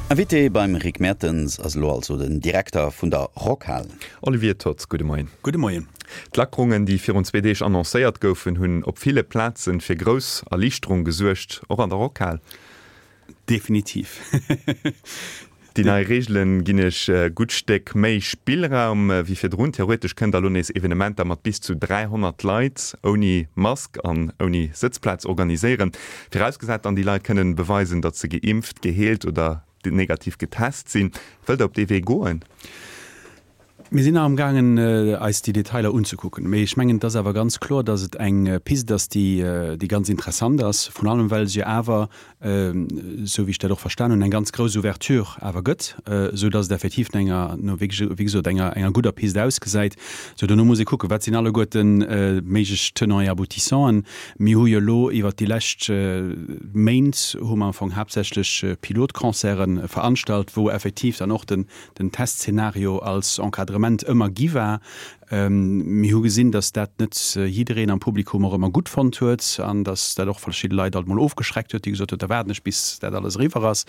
Invité beim Rick Mertens ass elo also den Direkter vun der Rockhal. Olivier Toth, gudde Moien. Gudde Moien. D'Lackerungen, déi virun zwee Deeg annoncéiert goufen, hunn op ville Plaze fir grouss Erliichterung gesuergt, och an der Rockhal. Definitiv. Déi nei Reegele ginn Iech e gutt Stéck méi Spillraum wéi virdrun. Theoretesch kënnt der elo nees Evenementer mat bis zu 300 Leit ouni Mask an ouni Sëtzplaz organiséieren. Virausgesat dann, déi Leit kënnen beweisen, datt se geimpft, geheelt oder negativ getest sinn. Wëllt der op dee Wee goen? Mir sinn nach am gaangen eis déi Detailer unzekucken, mee ech mengen et ass awer ganz kloer, datt et eng Piste ass, déi déi ganz interessant ass, vrun allem well se jo awer, esou wéi ech dat och verstan hunn, eng ganz grouss Ouverture awer gëtt, esou datt et effektiv no enger, no wéi gesot enger enger gudder Piste ausgesäit. Sou, dono muss ee kucken, wat sinn alleguerten méiglech Tenants et Aboutissanten. Mir hu jo elo iwwert déi lescht Méint hu mer am Fong haaptsächlech Pilotconcerte veranstalt, wou effektiv dann och den den Testszenario als Encadrement ëmmer gi war. Mir hu gesinn, datt dat net jiddereen am Publikum och ëmmer gutt fonnt huet an datt dat och verschidde Leit alt mol ofgeschreckt huet, déi gesot huet, da waarden ech bis dat alles eriwwer ass.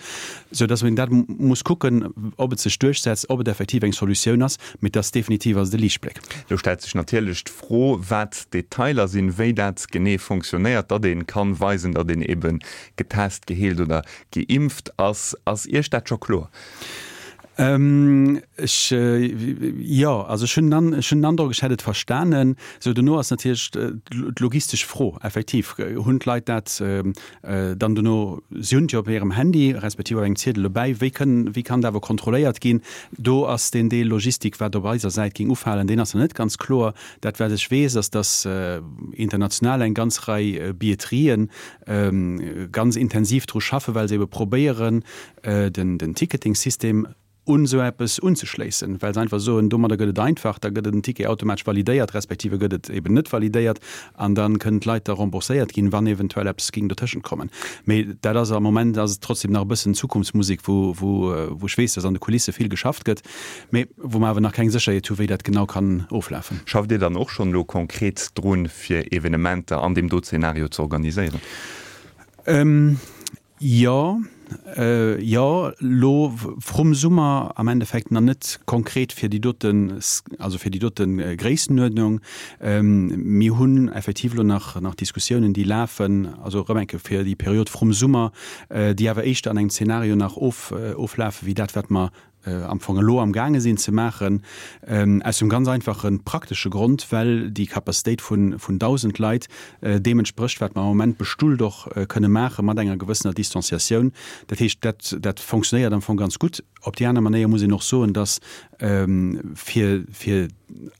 Sou datt een dat muss kucken, ob et sech duerchsetzt, ob et effektiv eng Solutioun ass, mee et ass definitiv ass et e Liichtbléck. Lo stellt sech natierlech d'Fro, wat d'Detailer sinn, wéi dat genee fonctionnéiert, datt ee kann weisen, datt een ebe getest, geheelt oder geimpft ass. Ass Iech dat scho kloer? Ech, jo, also ech hunn den, ech hunn den Androck, ech hätt et verstanen. Sou, dono ass natierlech d'logistesch Fro, effektiv, hunn d'Leit dat dann dono, si hunn et jo op hirem Handy respektiv op engem Ziedel dobäi, wéi kënnen, wéi kann dat awer kontrolléiert ginn? Do ass deen Deel Logistik, wat op eiser Säit géing ufalen, deen ass nach net ganz kloer. Dat, wat ech weess, ass, datt international eng ganz Rei Billetterien ganz intensiv dru schaffen, well se ebe probéieren, den Ticketing-System un esou eppes unzeschléissen, well se einfach soen, domadder gëtt et einfach, da gëtt den Ticket automatesch validéiert, respektive gëtt et eben net validéiert an da kënnen d'Leit da rembourséiert ginn, wann eventuell eppes géing dotëschent kommen. Mee dat ass am Moment ass et trotzdem nach e bëssen Zukunftsmusek, wou, wou, wou ech weess, dass an de Kulisse vill geschafft gëtt, mee wou mer awer nach keng Sécherheet hu wéi dat genau kann oflafen. Schafft Dir dann och schonn elo konkret drun, fir Evenementer an deem do Zeenario ze organiséieren? Jo, jo, lo vrum Summer am Endeffekt nach net konkret fir déi doten, also fir déi dote Gréissenuerdnung. Mir hunn effektiv elo nach nach Diskussiounen, déi lafen, also erëm eng Kéier fir déi Period vrum Summer, déi awer éischter an engem Zeenario nach of oflafe wéi dat, wat mer am Fong elo am gaange sinn ze maachen, aus dem ganz einfache praktesche Grond, well déi Capacitéit vun 1.000 Leit deem entsprécht, wat mer am Moment bestullt och kënne maache mat enger gewëssener Distanciatioun. Dat heescht, dat, dat fonctionnéiert am Fong ganz gutt. Op déi aner Manéier muss een och soen, dass fir, fir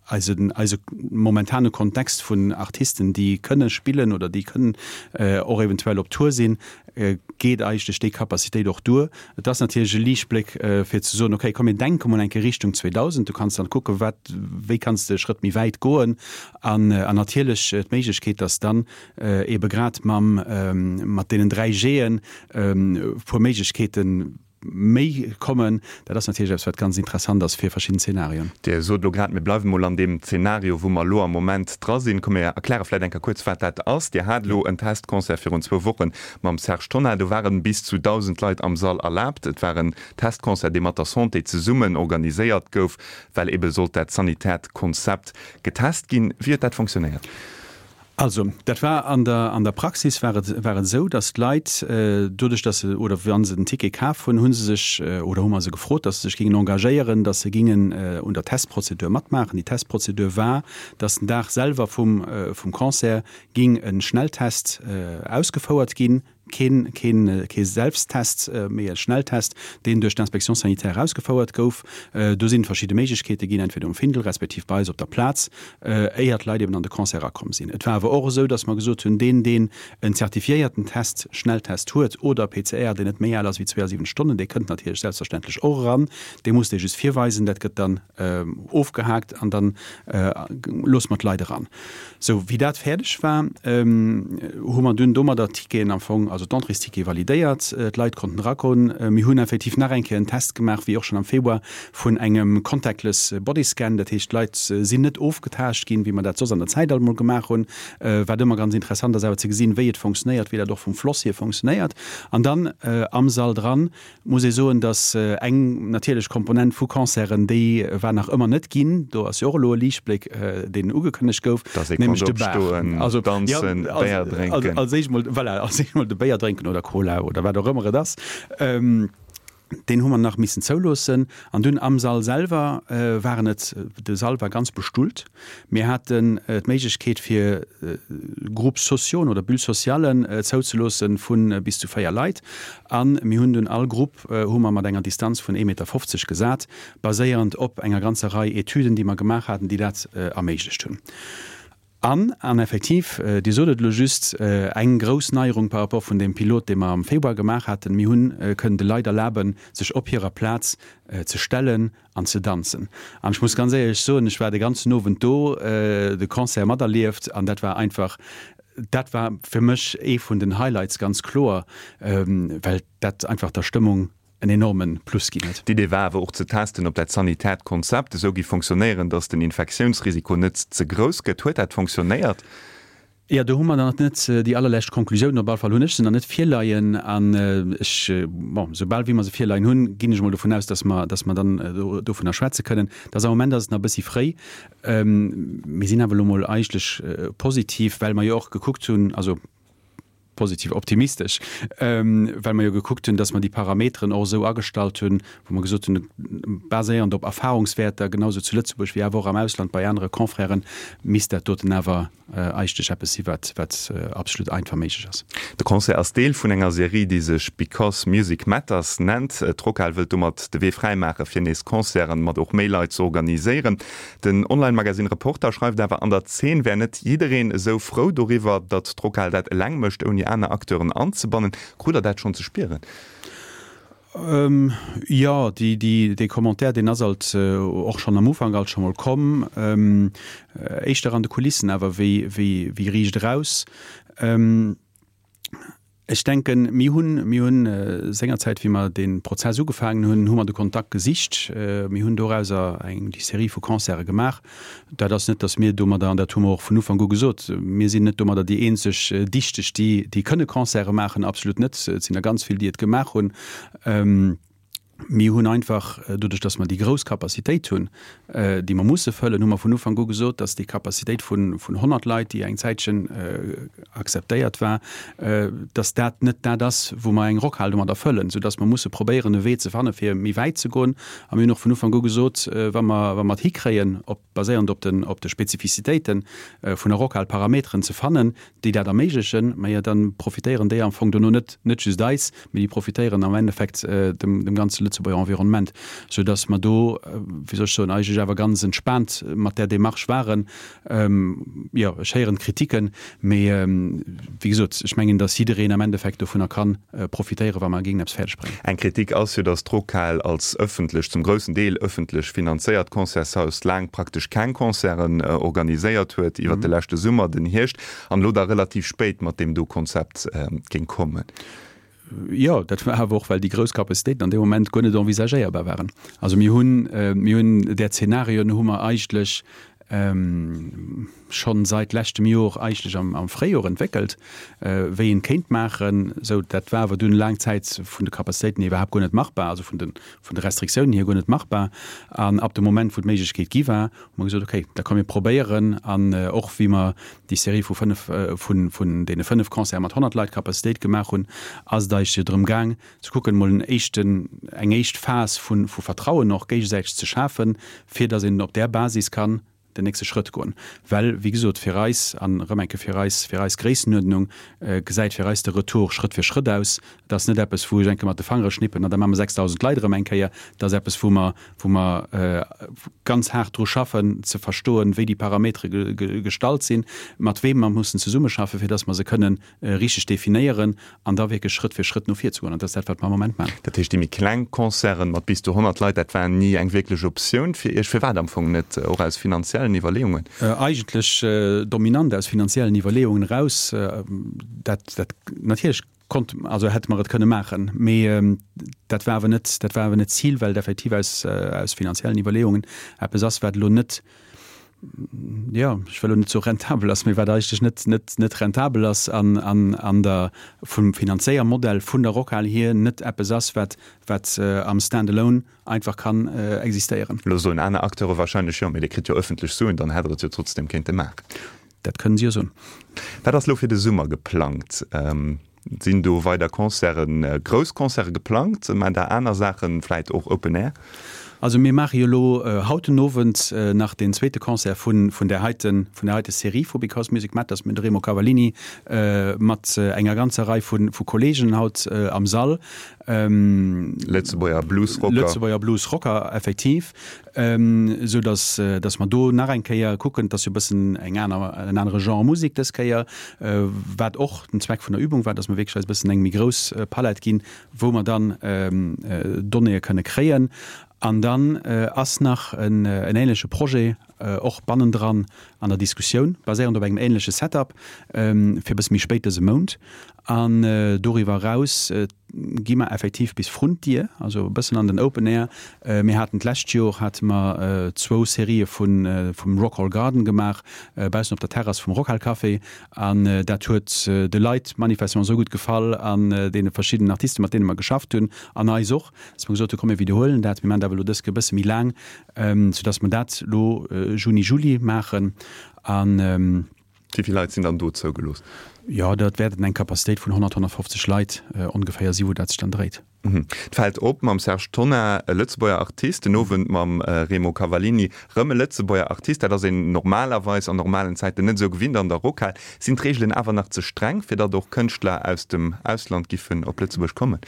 eisen, eise momentane Kontext vun Artisten, déi kënne spillen oder déi kënnen och eventuell op Tour sinn, geet eigentlech déi Capacitéit och duer. Et ass natierlech e Liichtbléck, fir ze soen, okay, komm mir denke mol eng Kéier Richtung 2000, du kanns dann kucken, wat, wéi kanns de e Schrëtt méi wäit goen. An natierlech d'Méiglechkeet, dass dann eebe grad mam, mat deenen 3 G'en e puer Méiglechkeeten méi kommen. Dat ass natierlech eppes, wat ganz interessant ass fir verschidden Zenarioen. Dir sot elo grad, mir bleiwe mol an deem Zenario, wou mer elo am Moment dra sinn. Komm mir erkläre vläicht eng Kéier kuerz, wat dat ass. Dir hat elo en Testconcert virun zwou Woche mam Serge Tonnar. Do ware bis zu 1.000 Leit am Sall erlaabt. Et war en Testconcert, dee mat der Santé zesummen organiséiert gouf, well ebe sollt dat sanitäert Konzept getest ginn. Wéi huet dat fonctionnéiert? Also, dat war an der, an der Praxis war et, war et esou, datt d'Leit, doduerch datt se, oder wa se den Ticket kaf hunn, hu se sech, oder hu mer se gefrot, datt se sech gingen engagéieren, datt se gingen un der Testprozedur matmaachen. Déi Testprozedur war, datt den Dag selwer vum, vum Concert ging e Schnelltest ausgefouert ginn, Keen, keen, kee Selbsttest, mee e Schnelltest, deen duerch d'Inspection sanitaire ausgefouert gouf. Do sinn verschidde Méiglechkeete ginn, entweder um Findel respektiv bei eis op der Plaz, éier d'Leit eben an de Concert erakomm sinn. Et war awer och esou, dass mer gesot hunn, deen, deen en zertifiéierten Test, Schnelltest huet oder PCR, deen net méi al ass wéi 72 Stonnen, dee kënnt natierlech selbstverständlech och eran. Dee muss dee just virweisen. Dat gëtt dann ofgehaakt an dann loosse mer d'Leit eran. Sou, wéi dat fäerdeg war, hu mer dunn domadder d'Ticketen am Fong, also. also d'Entréesticket validéiert, d'Leit konnten eragoen. Mir hunn effektiv nach eng Kéier en Test gemaach, wéi och schonn am Februar, vun engem contactless Bodyscan. Dat heescht, d'Leit sinn net ofgetaascht ginn, wéi mer dat soss an der Zäit alt emol gemaach hunn, wat ëmmer ganz interessant ass awer ze gesinn, wéi et funktionéiert, wéi dat och vum Floss hier funktionéiert. An dann am Sall dran muss ee soen, datt eng natierlech Komponent vu Concerten, déi war nach ëmmer net ginn, do ass jo och elo e Liichtbléck, deen ugekënnegt gouf, Dass ee konnt nämlech de Bar. opstoen, Also, ja, danzen, Béier drénken. als éischt mol, voilà, als éischt mol de Béier drénken oder Cola oder wat och ëmmer et ass. Deen hu mer nach missen zouloossen. An dunn am Sall selwer waren et, de Sall war ganz bestullt. Mir haten d'Méiglechkeet fir Groupes sociaux oder Bulles socialen zouzeloosse vu bis zu 4 Leit. A mir hunn dunn all Grupp hu mer mat enger Distanz vun 1,50 Meter gesat, baséierend op enger ganzer Rei Etüden, déi mer gemaach haten, déi dat erméiglecht hunn. An, an effektiv, Dir sot et elo just, eng grouss Neierung par rapport vun deem Pilot, dee mer am Februar gemaach haten, Mir hunn kënnen de Leit erlaben, sech op hirer Plaz ze stellen an ze danzen. An ech muss ganz éierlech soen, ech war de ganzen Owend do, de Concert materlieft, an dat war einfach, dat war fir mech ee vun den Highlights, ganz kloer, well dat einfach der Stëmmung en enorme Plus ginn huet. D'Idee war awer och ze testen, ob dat sanitäert Konzept esou géif fonctionnéieren, datt den Infektiounsrisiko net ze grouss gëtt. Huet dat fonctionnéiert? Jo, do hu mer nach net déi allerlescht Konklusiounen, op alle Fall hunn ech se nach net virleien. An ech, bon, soubal wéi mer se virleien hunn, ginn ech emol dovun aus, datt mer, datt mer dann dovunner schwätze kënnen. Dass am Moment ass et nach e bëssi fréi. Mir sinn awer elo mol eigentlech positiv, well mer jo och gekuckt hunn, also, positiv optimistesch, well mer jo gekuckt hunn, dass mer déi Parameteren och esou agestallt hunn, wou mer gesot hunn, baséiernd op Erfahrungswäerter, genau esou zu Lëtzebuerg wéi awer och am Ausland bei anere Confrèren, misst dat doten awer eigentlech eppes si wat, wat absolut einfach méiglech ass. De Concert ass Deel vun enger Serie, déi sech Because Music Matters nennt. D'Rockhal wëllt domat de Wee fräi maache fir nees Concerten mat och méi Leit ze organiséieren. Den Online-Magasinn Reporter schreift awer, an der Zeen wär net jiddereen esou frou doriwwer, datt d'Rockhal dat eleng mécht, ouni aner Acteuren anzebannen. Krut der dat schonn ze spieren? Jo, dee Commentaire, deen ass alt och schonn am Ufank alt scho mol komm, éischter an de Kulissen awer wéi riicht eraus. Ech denken, mir hunn, mir hunn sengerzäit, wéi mer dee Prozess ugefaangen hunn, hu mer de Kontakt gesicht. Mir hunn dorauser eng, déi Serie vu Concerte gemaach. Dat ass net, datt mir domadder, an dat hu mer och vun Ufank u gesot, mir sinn net domadder déi eenzeg Dichteg, déi, déi kënne Concerte maachen, absolut net. Et sinn der ganz vill, déi et gemaach hunn. Mir hunn einfach, doduerch datt mer déi grouss Capacitéit hunn, déi mer musse fëllen, hu mer vun Ufank u gesot, datt déi Capacitéit vun 100 Leit, déi eng Zäitchen akzeptéiert war, datt dat net dat ass, wou mer eng Rockhal domadder fëllen, soudatt mer musse probéieren, e Wee ze fanne fir méi wäit ze goen. A mir hunn och vun Ufank u gesot, wa mer, wa mer et hikréien, op, baséierend op den, op de Spezifizitéite vun der Rockhal Parameteren ze fannen, déi dat erméiglechen, majo da profitéieren déi am Fong dono net, net just eis, mee déi profitéieren am Endeffekt dem, dem ganze Lëtzebuerger Environnement, soudass mer do, wéi soll ech soen, eigentlech awer ganz entspaant mat där Démarche waren. Jo, ech héieren d'Kritiken, mee wéi gesot, ech mengen, dass jiddereen am Endeffekt dovunner ka profitéieren, wa mer géingen eppes fäerdeg bréngen. Eng Kritik ass jo, dass d'Rockhal als ëffentlech, zum groussen Deel ëffentlech finanzéiert Concertshaus laang praktesch keng Concerten organiséiert huet iwwert de leschte Summer, den Hierscht an elo da relativ spéit mat deem do Konzept géing kommen. Jo, dat war awer och, well déi grouss Capacitéiten an deem Moment guer net envisagéierbar waren. Also mir hunn, mir hunn där Zenarioen hu mer eigentlech schonn seit leschtem Jor eigentlech am, am Fréijor entwéckelt, wéi een kéint maachen. Sou, dat war awer dunn laang Zäit vun de Capacitéiten hier iwwerhaapt guer net machbar, also vun de, vun de Restriktiounen hier guer net machbar. An ab dem Moment, wou d'Méiglechkeet gi war, hu mer gesot, okay, da komm mir probéieren. An och wéi mer déi Serie vu fënnef, vun, vun deene fënnef Concerte mat 100 Leit Capacitéit gemaach hunn, ass et eigentlech jo drëm gaang, ze kucken, emol en éischten, eng éischt Phas vu, vu Vertrauen och géigesäiteg ze schafen, fir datt een op där Basis kann den nächste Schrëtt goen. Well, wéi gesot, fir eis, an erëm eng Kéier fir eis, fir eis Gréissenuerdnung, gesäit fir eis de Retour Schrëtt fir Schrëtt aus. Et ass net eppes, wou ech eng Kéier mat de Fangere schnippen an da maache mer 6.000 Leit erëm eng Kéier. Et ass eppes, wou mer, wou mer ganz haart dru schaffen, ze verstoen, wéi déi Parametere gestallt sinn, mat weem mer mussen zesummeschaffen, fir datt mer se kënnen richteg definéieren an da wierklech Schrëtt fir Schrëtt no vir ze goen. An dat ass dat, wat mer am Moment maachen. Dat heescht, déi méi kleng Concerten mat bis zu 100 Leit, dat war ni eng wierklech Optioun fir Iech? Firwat am Fong net? Och aus finanziellen Iwwerleeungen? Eigentlech dominant aus finanziellen Iwwerleeungen eraus. Dat, dat natierlech. Konnt, also hätte mer et kënne maachen, mee dat war awer net, dat war awer net d'Zil, well et effektiv aus, aus finanziellen Iwwerleeungen eppes ass, wat elo net, jo, ech wëll elo net soe rentabel ass, mee wat eigentlech net, net, net rentabel ass an, an, an der, vum Finanzéiermodell vun der Rockhal hier net eppes ass, wat, wat am Stand-alone einfach kann existéieren. Elo soen aner Acteure wahrscheinlech, jo, mee Dir kritt jo ëffentlech Suen, dann hätt Der et jo trotzdem kéinte maachen. Dat kënnen si jo soen. Wat ass elo fir de Summer geplangt? Sinn do weider Concerten, grouss Concerte geplangt? Maacht Der aner Saachen, vläit och Open Air? Also mir maache jo elo haut den Owend nach deen zweete Concert vun vun där heiten, vun där heite Serie vu Because Music Matters mit Remo Cavallini mat enger ganzer Rei vu vu Kolleegen haut am Sall. Lëtzebuerger Bluesrocker. Lëtzebuerger Bluesrocker, effektiv. Esou dass, dass mer do nach eng Kéier kucken, et ass jo e bëssen eng aner, en anere Genre Musek dës Kéier, wat och den Zweck vun der Übung war, dass mer wierklech eis e bëssen eng méi grouss Palett ginn, wou mer dann Donnéeë kënne kréien. An dann ass nach en ähnleche Projet och bannendran an der Diskussioun, baséierend op engem ähnleche Setup, fir e bësse méi spéit dëse Mount. An doriwwer eraus gi mer effektiv bis vrun d'Dier, also e bëssen an den Open Air. Mir haten d'lescht Jor hate mer zwou Serië vun vum Rockhal Garden gemaach, baussen op der Terrass vum Rockhal Café. An dat huet de Leit manifestement esou gutt gefall an deene verschiddenen Artisten, mat deene mer geschafft hunn, an eis och, dass mer gesot hunn, komm mir widderhuelen dat, mir maachen dat awer elo dës Kéier e bësse méi laang, soudass mer dat elo Juni, Juli maachen. An. Wéi vill Leit sinn dann do zougelooss? Jo, dat wäerten eng Capacitéit vun 100, 150 Leit ongeféier si wou dat sech dann dréit. Et fält op, mam Serge Tonnar e Lëtzebuerger Artist, den Owend mam Remo Cavallini rëm e Lëtzebuerger Artist. Dat ass een normalerweis an normalen Zäiten net esou gewinnt an der Rockhal. Sinn d'Reegelen awer nach ze streng, fir datt och Kënschtler aus dem Ausland giffen op Lëtzebuerg kommen?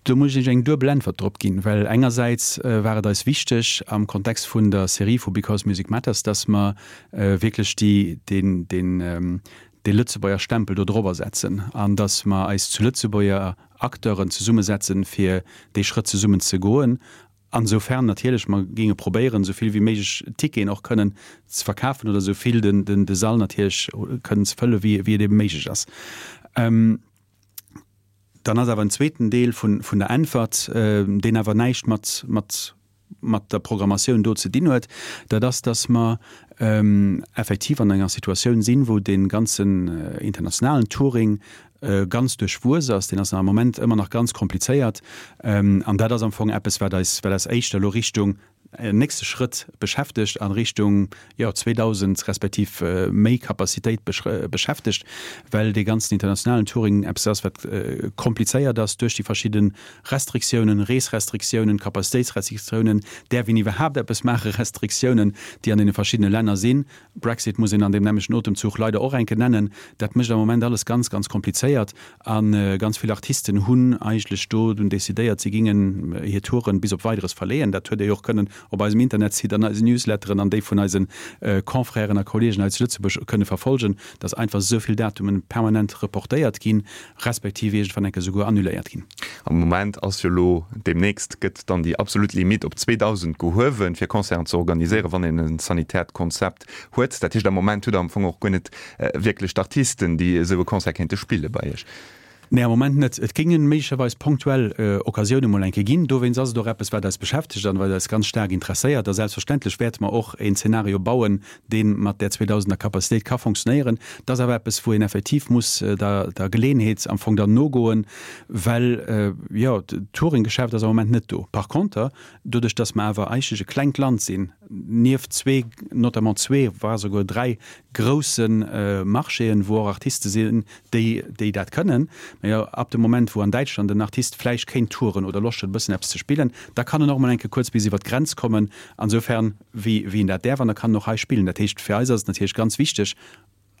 Do muss ech eng duebel Äntwert drop ginn, well engersäits war et eis wichteg am Kontext vun der Serie vu Because Music Matters, dass mer wierklech déi, deen, deen, dee Lëtzebuerger Stempel do drobber setzen an dass mer eis zu Lëtzebuerger Acteuren zesummesetzen, fir dee Schrëtt zesummen ze goen. Ansoufern natierlech mer géinge probéieren, esou vill wéi méiglech Ticketen och kënnen ze verkafen oder esou vill den, den, de Sall natierlech kënnen ze fëlle wéi, wéi et ebe méiglech ass. Dann ass awer en zweeten Deel vun der Äntwert, deen awer näischt mat, mat, mat der Programmatioun do ze dinn huet, dat ass, dass mer effektiv an enger Situatioun sinn, wou dee ganzen internationalen Touring ganz duerchwuess ass. Deen ass am Moment ëmmer nach ganz komplizéiert. An dat ass am Fong eppes, wat eis, wat eis éischter elo Richtung en nächste Schrëtt beschäftegt, a Richtung, jo, 2.000 respektiv méi Capacitéit beschäftegt, well dee ganzen internationalen Touring eppes ass, wat komplizéiert ass duerch déi verschidde Restriktiounen, Reesrestriktiounen, Capacitéitsrestriktiounen, däerf een iwwerhaapt eppes maachen, Restriktiounen, déi an deene verschiddene Länner sinn. Brexit muss een an deem nämlechten Otemzuch leider och enke nennen. Dat mécht am Moment alles ganz, ganz komplizéiert. A ganz vill Artisten hunn eigentlech do dunn decidéiert, si gingen hir Touren bis op Weideres verleeën. Dat huet Dir jo och kënnen op eisem Internetsite, an eisen Newsletteren an déi vun eise Confrèren a Kollegen hei zu Lëtzebuerg kënne verfolgen, dass einfach esou vill Datumen permanent reportéiert ginn, respektiv iergendwann enke souguer annuléiert ginn. Am Moment ass jo elo, deemnächst gëtt dann déi absolut Limitt op 2.000 gehuewen, fir Concerten ze organiséieren, wann een e sanitäert Konzept huet. Dat heescht, am Moment hutt Der am Fong och guer net wierklech d'Artisten, déi esou e Concert kéinte spille bei Iech. Nee, am Moment net. Et géingen méiglecherweis ponktuell Occasioune mol eng Kéier ginn. Dowéinst ass et och eppes, wat eis beschäftegt an wat eis ganz staark interesséiert. A selbstverständlech wäerte mer och een Zeenario bauen, dee mat där 2.000er Capacitéit ka fonctionnéieren. Dat ass awer eppes, wou een effektiv muss der der Geleeënheet am Fong dann nogoen, well, jo, d'Touringgeschäft ass am Moment net do. Par conter, doduerch dass mer awer eigentlech e klengt Land sinn, nieft zwee, notamment zwee, voire souguer dräi grousse Marchéen, wou och Artiste sinn, déi, déi dat kënnen. Mä jo, ab dem Moment, wou an Däitschland en Artist vläicht kéint touren oder Loscht huet, e bëssen eppes ze spillen, da kann en och emol eng Kéier kuerz bis iwwer d'Grenz kommen. Ansoufern, wéi, wéi en dat däerf, an da kann en och hei spillen. Dat heescht, fir eis ass et natierlech ganz wichteg,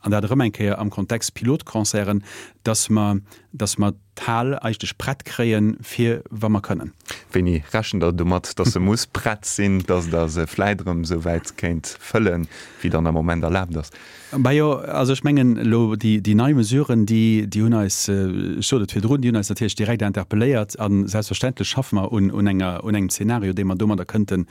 an dat erëm eng Kéier am Kontext Pilotconcerten, dass mer, dass mer. d'Hal eigentlech prett kréien, fir wa mer kënnen. Wéini rechent Der domat, dass se muss prett sinn, dass Der se vläit erëm esou wäit kéint fëllen, wéi dann am Moment erlaabt ass? Majo, also ech mengen elo déi nei Mesuren, déi hunn eis, ech sot et virdrun, déi hunn eis natierlech direkt interpelléiert a selbstverständlech schaffe mer un enger, un engem Zeenario, dee mer domadder kënnte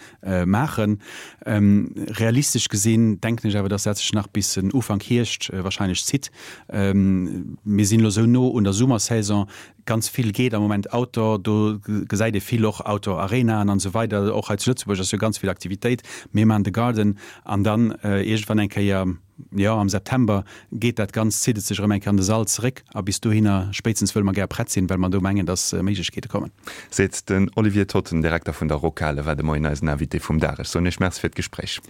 maachen. Realistesch gesinn denken ech awer, dass dat sech nach bis en Ufank Hierscht wahrscheinlech zitt. Mir sinn elo esou no un der Summersaison, ganz vill geet am Moment Outdoor, do gesäit ee vill och Outdoor-Arenaen an esou weider. Och hei zu Lëtzebuerg ass jo ganz vill Aktivitéit. Mir maachen de Garden an dann iergendwann eng Kéier, jo am September geet dat Ganzt, zitt et sech erëm eng Kéier an de Sall zeréck a bis dohinner spéitstens wëlle mer gär prett sinn, well mer do mengen, dass Méiglechkeete kommen. Seet den Olivier Totten, Direkter vun der Rockhale, war de Moien eisen Invité vum Dag. Ech soen Iech Merci fir d'Gespréich.